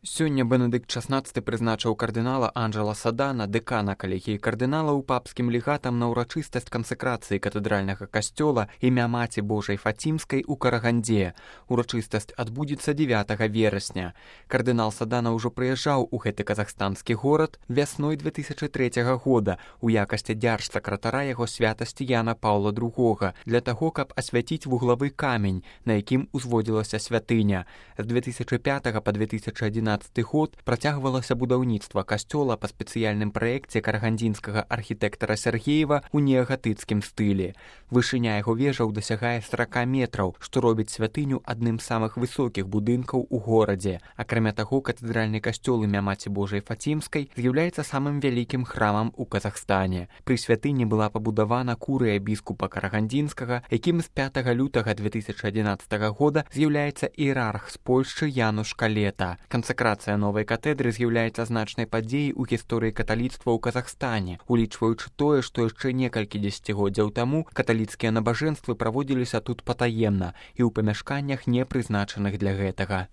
Сёння Бенедыкт XVI прызначыў кардынала Анджела Садана, дэкана калегіі кардыналаў, папскім легатам на ўрачыстасць кансэкрацыі катэдральнага касцёла імя Маці Божай Фацімскай у Карагандзе. Урачыстасць адбудзецца 9 верасня. Кардынал Садана ўжо прыязджаў у гэты казахстанскі горад вясной 2003 года у якасці дзяржсакратара яго святасці Яна Паўла II для таго, каб асвяціць вуглавы камень, на якім узводзілася святыня. З 2005 па 2011 год працягвалася будаўніцтва касцёла па спецыяльным праекце карагандзінскага архітэктара Сергеева ў неагатыцкім стылі. Вышыня яго вежаў дасягае 40 метраў, што робіць святыню адным з самых высокіх будынкаў у горадзе. Акрамя таго, катэдральны касцёл імя Маці Божай Фацімскай з'яўляецца самым вялікім храмам у Казахстане. Пры святыні была пабудавана курыя біскупа карагандзінскага, якім з 5 лютага 2011 года з'яўляецца іерарх з Польшчы Януш Калета. Кансэкрацыя новай катэдры з'яўляецца значнай падзеяй у гісторыі каталіцтва ў Казахстане, улічваючы тое, што яшчэ некалькі дзесяцігоддзяў таму каталіцкія набажэнствы праводзіліся тут патаемна і ў памяшканнях, не прызначаных для гэтага.